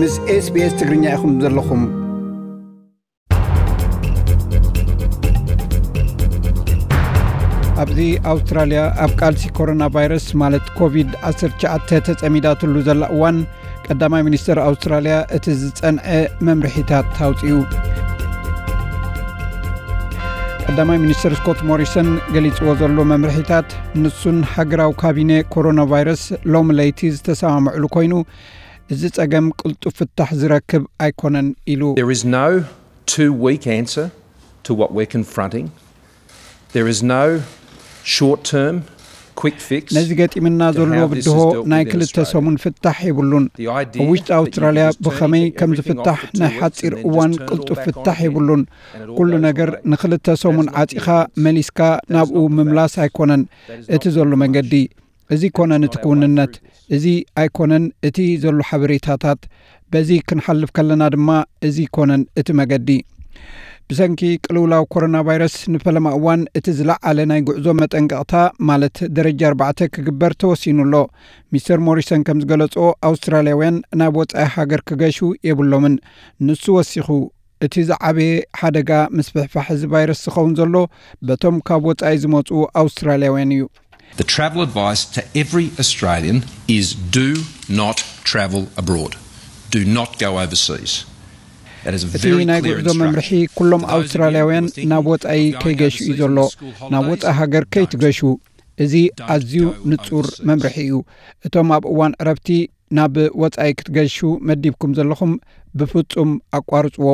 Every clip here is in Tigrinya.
ምስ SBS ትግርኛ ኢኹም ዘለኹም። ኣብዚ ኣውስትራልያ ኣብ ቃልሲ ኮሮና ቫይረስ ማለት ኮቪድ ዓሰርተ ትሽዓተ ተጸሚዳትሉ ዘላ እዋን፣ ቀዳማይ ሚኒስተር ኣውስትራልያ እቲ ዝጸንዐ መምርሒታት ኣውጺኡ። ቀዳማይ ሚኒስተር ስኮት ሞሪሰን ገሊጽዎ ዘሎ መምርሒታት፣ ንሱን ሃገራዊ ካቢነ ኮሮና ቫይረስ ሎሚ ለይቲ ዝተሰማምዕሉ ኮይኑ፣ እዚ ጸገም ቅልጡፍ ፍታሕ ዝረክብ ኣይኮነን ኢሉ። There is no two-week answer to what we're confronting. There is no short-term quick fix ነዚ ገጢምና to ዘሎ how this ብድሆ is dealt ናይ with in ክልተ Australia. ሰሙን ፍታሕ የብሉን። The idea ኣብ ውሽጢ that you ኣውስትራልያ just turn ብኸመይ ከም everything ዝፍታሕ off for ናይ two ሓጺር weeks and then እዋን just turn it all ቅልጡፍ back on ፍታሕ again የብሉን። and it all ኩሉ goes ነገር again. ንክልተ ሰሙን That's not the ዓጺኻ answer. መሊስካ That is ናብኡ not the ምምላስ facts. ኣይኮነን That is እቲ not ዘሎ the መንገዲ። እዚ ኮነን እቲ ክውንነት፣ እዚ ኣይኮነን እቲ ዘሎ ሓበሬታታት፣ በዚ ክንሓልፍ ከለና ድማ እዚ ኮነን እቲ መገዲ። ብሰንኪ ቅልውላው ኮሮና ቫይረስ ንፈለማ እዋን እቲ ዝለዓለ ናይ ጉዕዞ መጠንቀቕታ ማለት ደረጃ ኣርባዕተ ክግበር ተወሲኑ ኣሎ። ሚስተር ሞሪሰን ከም ዝገለጾ፣ ኣውስትራልያውያን ናብ ወጻኢ ሃገር ክገሹ የብሎምን። ንሱ ወሲኹ፣ እቲ ዝዓበየ ሓደጋ ምስፍሕፋሕ እዚ ቫይረስ ዝኸውን ዘሎ በቶም ካብ ወጻኢ ዝመጹ ኣውስትራልያውያን እዩ። The travel advice to every Australian is do not travel abroad. Do not go overseas. That is a እቲ very ናይ clear ጉዕዞ instruction. መምርሒ ኩሎም For those of you who are ኣውስትራልያውያን thinking ናብ ወጻኢ of going ከይገሹ እዩ overseas ዘሎ። in the school ናብ holidays, ወጻኢ ሃገር don't. ከይትገሹ። እዚ don't ኣዝዩ go ንጹር overseas. መምርሒ እዩ። እቶም ኣብ እዋን ዕረፍቲ ናብ ወጻኢ ክትገሹ መዲብኩም ዘለኹም ብፍጹም ኣቋርጽዎ።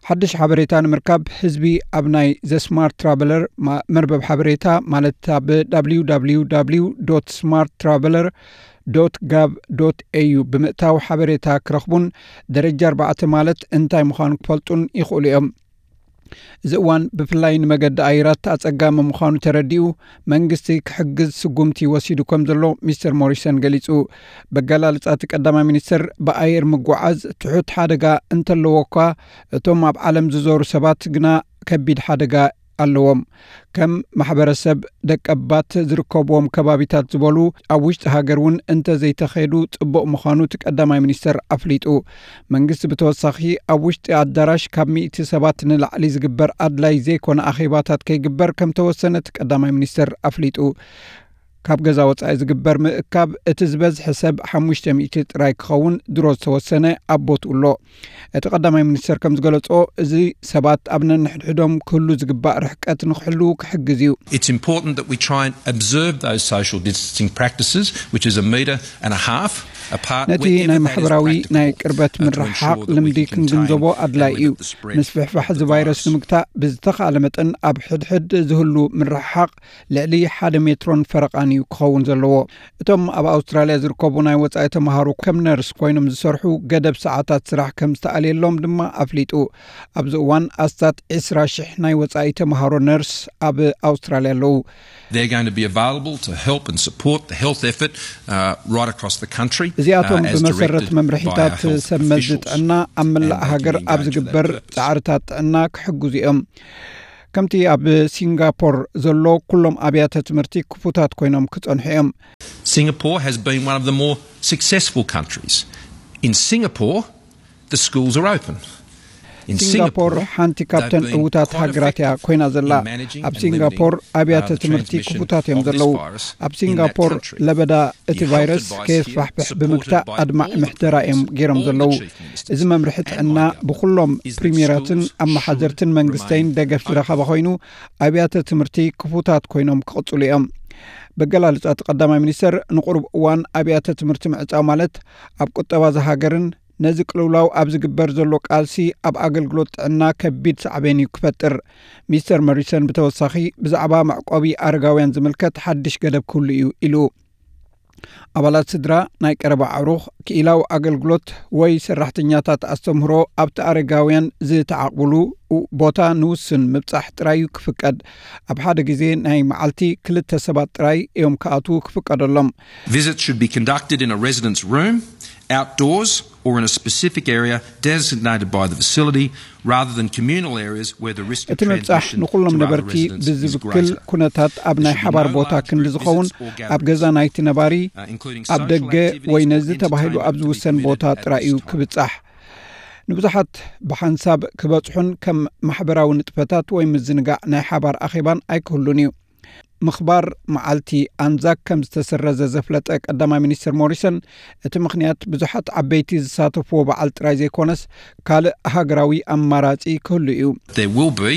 ሓድሽ ሓበሬታ ንምርካብ ህዝቢ ኣብ ናይ ዘ ስማርት ትራቨለር ማ-፣ መርበብ ሓበሬታ ማለት ኣብ www.smarttraveller.gov.au ብምእታው ሓበሬታ ክረኽቡን ደረጃ ኣርባዕተ ማለት እንታይ ምዃኑ ክፈልጡን ይኽእሉ እዮም። እዚ እዋን ብፍላይ ንመገዲ ኣየራት ኣጸጋሚ ምዃኑ ተረዲኡ መንግስቲ ክሕግዝ ስጉምቲ ወሲዱ ከም ዘሎ ሚስተር ሞሪሰን ገሊጹ። በገላልጻ እቲ ቀዳማይ ሚኒስተር ብኣየር ምጉዓዝ ትሑት ሓደጋ እንተለዎ እኳ እቶም ኣብ ዓለም ዝዞሩ ሰባት ግና ከቢድ ሓደጋ ኣለዎም። ከም ማሕበረሰብ ደቀባት ዝርከብዎም ከባቢታት ዝበሉ ኣብ ውሽጢ ሃገር እውን እንተዘይተኸዱ ጽቡቕ ምዃኑ እቲ ቀዳማይ ሚኒስተር ኣፍሊጡ። መንግስቲ ብተወሳኺ ኣብ ውሽጢ ኣዳራሽ ካብ ሚእቲ ሰባት ንላዕሊ ዝግበር ኣድላይ ዘይኮነ ኣኼባታት ከይግበር ከም ተወሰነ እቲ ቀዳማይ ሚኒስተር ኣፍሊጡ። ካብ ገዛ ወጻኢ ዝግበር ምእካብ እቲ ዝበዝሐ ሰብ ሓሙሽተ ሚእቲ ጥራይ ክኸውን ድሮ ዝተወሰነ ኣብ ቦትኡ ኣሎ። እቲ ቀዳማይ ሚኒስተር ከም ዝገለጾ፣ እዚ ሰባት ኣብ ነንሕድሕዶም ክህሉ ዝግባእ ርሕቀት ንክሕልዉ ክሕግዝ እዩ። It's important that we try and observe those social distancing practices, which is a metre and a half apart ነቲ wherever ናይ that is ማሕበራዊ practicable, ናይ ቅርበት uh, to ምርሓቕ ensure that we ልምዲ can ክንግንዘቦ contain and ኣድላይ እዩ። limit the spread ምስፍሕፋሕ of እዚ the ቫይረስ virus. ንምግታእ ብዝተኻእለ መጠን ኣብ ሕድሕድ ዝህሉ ምርሓቕ ልዕሊ ሓደ ሜትሮን ፈረቓን እዩ ክኸውን ዘለዎ። እቶም ኣብ ኣውስትራልያ ዝርከቡ ናይ ወጻኢ ተምሃሮ ከም ነርስ ኮይኖም ዝሰርሑ ገደብ ሰዓታት ስራሕ ከም ዝተኣልየሎም ድማ ኣፍሊጡ። ኣብዚ እዋን ኣስታት ዕስራ ሽሕ ናይ ወጻኢ ተምሃሮ ነርስ ኣብ ኣውስትራልያ ኣለዉ። They're going to be available to help and support the health effort, uh, right across the country, እዚኣቶም uh, as ብመሰረት directed by our መምርሒታት health ሰብ መዚ officials ጥዕና ኣብ መላእ and they can ሃገር ኣብ engage with ዝግበር that purpose. ጻዕርታት ጥዕና ክሕግዙ እዮም። ከምቲ ኣብ ሲንጋፖር ዘሎ ኩሎም ኣብያተ ትምህርቲ ክፉታት ኮይኖም ክጸንሑ እዮም። Singapore has been one of the more successful countries. In Singapore, the schools are open. In ሲንጋፖር Singapore, ሓንቲ ካብተን they've been ዕዉታት quite ሃገራት እያ effective ኮይና ዘላ። In managing ኣብ and ሲንጋፖር limiting, ኣብያተ uh, the ትምህርቲ transmission ክፉታት እዮም of this ዘለዉ። Virus ኣብ in that ሲንጋፖር country. ለበዳ እቲ ቫይረስ ከየስፋሕፍሕ ብምግታእ ኣድማዒ ምሕደራ እዮም ገይሮም ዘለዉ። እዚ መምርሒ ጥዕና ብኹሎም ፕሪሚየራትን ኣመሓደርትን መንግስተይን ደገፍ ዝረኸበ ኮይኑ ኣብያተ ትምህርቲ ክፉታት ኮይኖም ክቕጽሉ እዮም። በገላልጻ እቲ ቀዳማይ ሚኒስተር ንቁሩብ እዋን ኣብያተ ትምህርቲ ምዕጻው ማለት ኣብ ቁጠባ ዝሃገርን ነዚ ቅልውላው ኣብ ዝግበር ዘሎ ቃልሲ ኣብ ኣገልግሎት ጥዕና ከቢድ ሳዕቤን እዩ ክፈጥር። ሚስተር መሪሰን ብተወሳኺ ብዛዕባ መዕቆቢ ኣረጋውያን ዝምልከት ሓድሽ ገደብ ክህሉ እዩ ኢሉ። ኣባላት ስድራ፣ ናይ ቀረባ ኣዕሩኽ፣ ክኢላዊ ኣገልግሎት ወይ ሰራሕተኛታት ኣስተምህሮ ኣብቲ ኣረጋውያን ዝተዓቕብሉ ቦታ ንውስን ምብጻሕ ጥራይ እዩ ክፍቀድ። ኣብ ሓደ ግዜ ናይ መዓልቲ ክልተ ሰባት ጥራይ እዮም ክኣትዉ ክፍቀደሎም። Visits should be conducted in a resident's room, outdoors, or in a specific area designated by the facility, rather than communal areas where the risk of እቲ ምብጻሕ transmission ንኹሎም to other ነበርቲ residents is ብዝብክል greater. ኩነታት ኣብ ናይ ሓባር ቦታ ክንዲ ዝኸውን ኣብ ገዛ ናይቲ ነባሪ፣ ኣብ ደገ ወይ ነዚ ተባሂሉ ኣብ ዝውሰን ቦታ ጥራይ እዩ ክብጻሕ። ንብዙሓት ብሓንሳብ ክበጽሑን ከም ማሕበራዊ ንጥፈታት ወይ ምዝንጋዕ ናይ ሓባር ኣኼባን ኣይክህሉን እዩ። ምኽባር መዓልቲ ኣንዛክ ከም ዝተሰረዘ ዘፍለጠ ቀዳማይ ሚኒስትር ሞሪሰን፣ እቲ ምኽንያት ብዙሓት ዓበይቲ ዝሳተፍዎ በዓል ጥራይ ዘይኮነስ ካልእ ሃገራዊ ኣማራጺ ክህሉ እዩ። There will be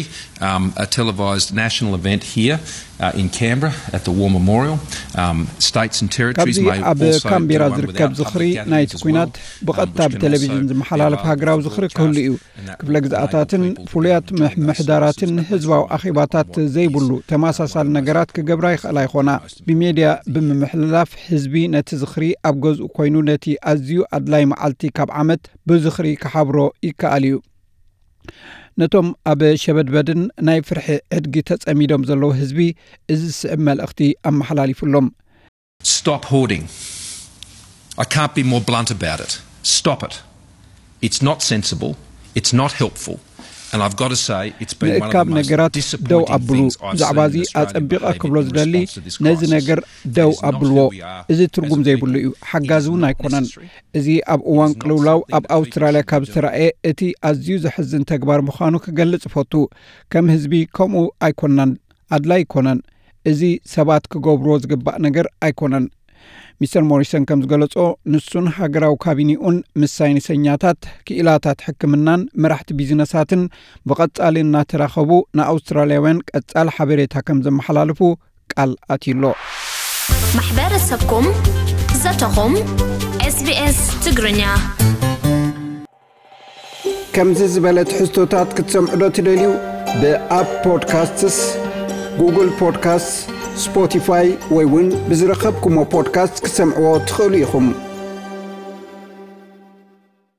um, a televised national event here uh, in Canberra at the War Memorial. Um, states and territories ካብዚ may ኣብ also ካምቤራ do one ዝርከብ without ዝኽሪ public ናይቲ gatherings as well, ኲናት ብቐጥታ ብቴሌቪዥን ዝመሓላለፍ ሃገራዊ ዝኽሪ ክህሉ እዩ። ክፍለ ግዝኣታትን ፍሉያት ምምሕዳራትን ህዝባዊ ኣኼባታት ዘይብሉ ተመሳሳሊ ነገራት ክገብራ ይኽእላ ይኾና። ብሜድያ ብምምሕልላፍ ህዝቢ ነቲ ዝኽሪ ኣብ ገዝኡ ኮይኑ ነቲ ኣዝዩ ኣድላይ መዓልቲ ካብ ዓመት ብዝኽሪ ክሓብሮ ይከኣል እዩ። ነቶም ኣብ ሸበድበድን ናይ ፍርሒ ዕድጊ ተጸሚዶም ዘለዉ ህዝቢ እዚ ዝስዕብ መልእኽቲ ኣመሓላሊፉሎም። Stop hoarding. I can't be more blunt about it. Stop it. It's not sensible. It's not helpful. And I've got to say, it's been one of the ምእካብ most ነገራት ደው disappointing ኣብሉ። things I've ብዛዕባ seen እዚ in Australian ኣጸቢቐ behaviour ክብሎ in ዝደሊ response to this ነዚ crisis. ነገር Um, ደው it's not ኣብልዎ። who we are እዚ as a ትርጉም ዘይብሉ people. እዩ። It ሓጋዚ is እውን not ኣይኮነን። necessary. እዚ ኣብ እዋን ቅልውላው ኣብ ኣውስትራልያ ካብ ዝተራእየ እቲ ኣዝዩ ዘሕዝን ተግባር ምዃኑ ክገልጽ እፈቱ። ከም ህዝቢ ከምኡ ኣይኮናን፣ ኣድላይ ኣይኮነን። እዚ ሰባት ክገብርዎ ዝግባእ ነገር ኣይኮነን። ሚስተር ሞሪሰን ከም ዝገለጾ፣ ንሱን ሃገራዊ ካቢኔኡን ምስ ሳይንሰኛታት፣ ክኢላታት ሕክምናን መራሕቲ ቢዝነሳትን ብቐጻሊ እናተራኸቡ ንኣውስትራልያውያን ቀጻሊ ሓበሬታ ከም ዘመሓላልፉ ቃል ኣትዩሎ። ማሕበረሰብኩም ዘተኹም SBS ትግርኛ። ከምዚ ዝበለ ትሕዝቶታት ክትሰምዑ ዶ ትደልዩ? ብኣፕ ፖድካስትስ፣ ጉግል ፖድካስትስ፣ ስፖቲፋይ ወይ እውን ብዝረኸብኩሞ ፖድካስት ክትሰምዕዎ ትኽእሉ ኢኹም።